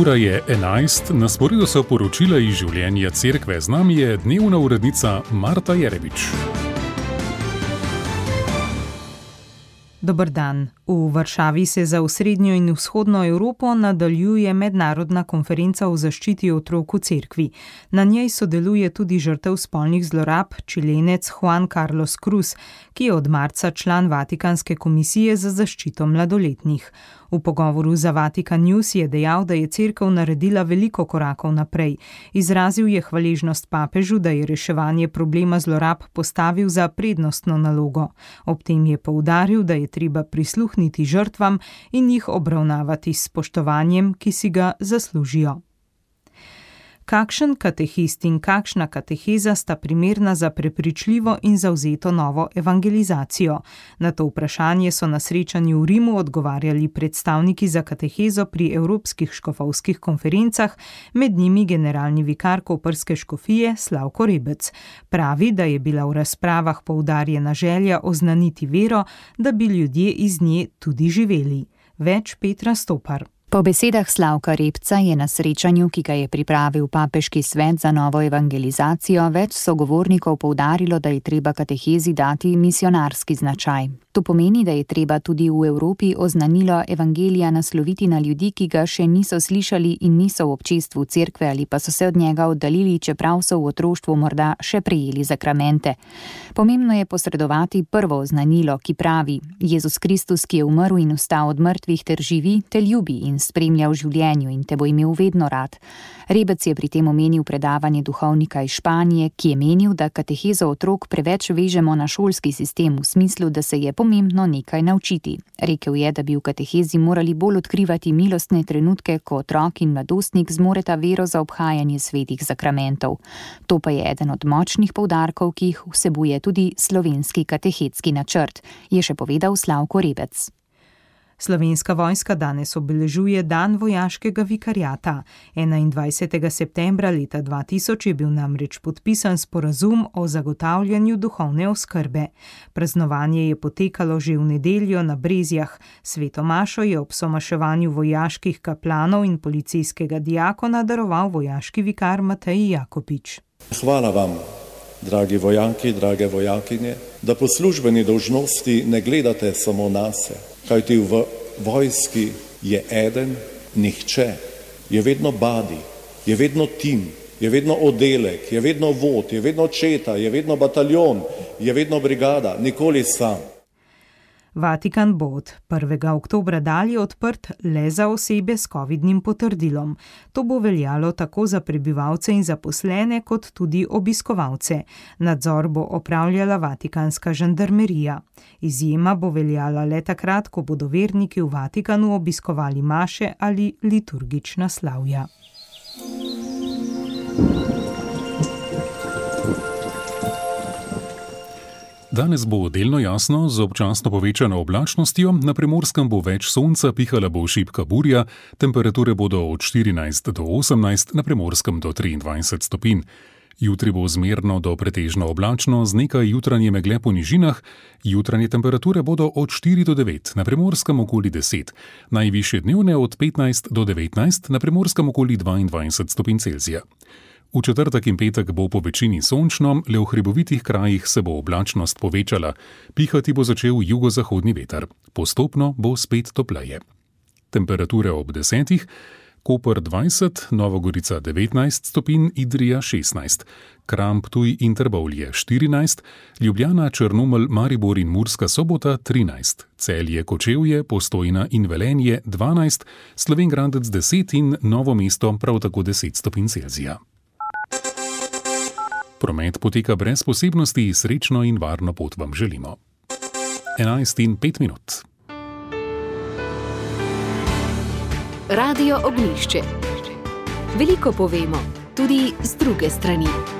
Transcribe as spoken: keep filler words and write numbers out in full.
Ura je enajst, na sporedu so poročila iz življenja cerkve. Z nami je dnevna urednica Marta Jerebič. Dober dan. V Varšavi se za osrednjo in vzhodno Evropo nadaljuje mednarodna konferenca o zaščiti otrok v cerkvi. Na njej sodeluje tudi žrtev spolnih zlorab, Čilenec Juan Carlos Cruz, ki je od marca član Vatikanske komisije za zaščito mladoletnih. V pogovoru za Vatikan News je dejal, da je cerkev naredila veliko korakov naprej. Izrazil je hvaležnost papežu, da je reševanje problema zlorab postavil za prednostno nalogo. Ob tem je poudaril, da je treba prisluhniti žrtvam in jih obravnavati s spoštovanjem, ki si ga zaslužijo. Kakšen katehist in kakšna kateheza sta primerna za prepričljivo in zavzeto novo evangelizacijo? Na to vprašanje so na srečanju v Rimu odgovarjali predstavniki za katehezo pri evropskih škofovskih konferencah, med njimi generalni vikar koprske škofije Slavko Rebec. Pravi, da je bila v razpravah poudarjena želja oznaniti vero, da bi ljudje iz nje tudi živeli. Več Petra Stopar. Po besedah Slavka Rebca je na srečanju, ki ga je pripravil Papeški svet za novo evangelizacijo, več sogovornikov poudarilo, da je treba katehezi dati misionarski značaj. To pomeni, da je treba tudi v Evropi oznanilo evangelija nasloviti na ljudi, ki ga še niso slišali in niso v občestvu cerkve ali pa so se od njega oddaljili, čeprav so v otroštvu morda še prejeli zakramente. Pomembno je posredovati prvo oznanilo, ki pravi: Jezus Kristus, ki je umrl in vstal od mrtvih ter živi, te ljubi in spremlja v življenju in te bo imel vedno rad. Rebec je pri tem omenil predavanje duhovnika iz Španije, ki je menil, da katehezo otrok preveč vežemo na šolski sistem v smislu, da se je pomembno nekaj naučiti. Rekel je, da bi v katehezi morali bolj odkrivati milostne trenutke, ko otrok in mladostnik zmoreta vero za obhajanje svetih zakramentov. To pa je eden od močnih poudarkov, ki jih vsebuje tudi slovenski katehetski načrt, je še povedal Slavko Rebec. Slovenska vojska danes obeležuje dan vojaškega vikariata. enaindvajsetega septembra leta dva tisoč je bil namreč podpisan sporazum o zagotavljanju duhovne oskrbe. Praznovanje je potekalo že v nedeljo na Brezjah. Sveto mašo je ob somaševanju vojaških kaplanov in policijskega diakona daroval vojaški vikar Matej Jakopič. Hvala vam, dragi vojaki, drage vojakinje, da po službeni dolžnosti ne gledate samo nase. Kajti v vojski je eden, nihče, je vedno badi, je vedno tim, je vedno oddelek, je vedno vod, je vedno četa, je vedno bataljon, je vedno brigada, nikoli sam. Vatikan bo od prvega oktobra dalje odprt le za osebe s covidnim potrdilom. To bo veljalo tako za prebivalce in zaposlene, kot tudi obiskovalce. Nadzor bo opravljala vatikanska žandarmerija. Izjema bo veljala le takrat, ko bodo verniki v Vatikanu obiskovali maše ali liturgična slavja. Danes bo delno jasno z občasno povečano oblačnostjo, na Primorskem bo več sonca, pihala bo šibka burja, temperature bodo od štirinajst do osemnajst, na Primorskem do triindvajset stopinj. Jutri bo zmerno do pretežno oblačno z nekaj jutranje megle po nižinah, jutranje temperature bodo od štiri do devet, na Primorskem okoli deset, najvišje dnevne od petnajst do devetnajst, na Primorskem okoli dvaindvajset stopinj Celzija. V četrtek in petek bo po večini sončno, le v hribovitih krajih se bo oblačnost povečala, pihati bo začel jugozahodni veter. Postopno bo spet topleje. Temperature ob desetih, Koper dvajset, Nova Gorica devetnajst stopinj, Idrija šestnajst, Kranj, Ptuj in Trbovlje štirinajst, Ljubljana, Črnomelj, Maribor in Murska Sobota trinajst, Celje, Kočevje, Postojna in Velenje dvanajst, Slovenj Gradec deset in Novo mesto prav tako deset stopinj Celzija. Promet poteka brez posebnosti, srečno in varno pot vam želimo. enajst in pet minut. Radio Ognjišče. Veliko povemo, tudi z druge strani.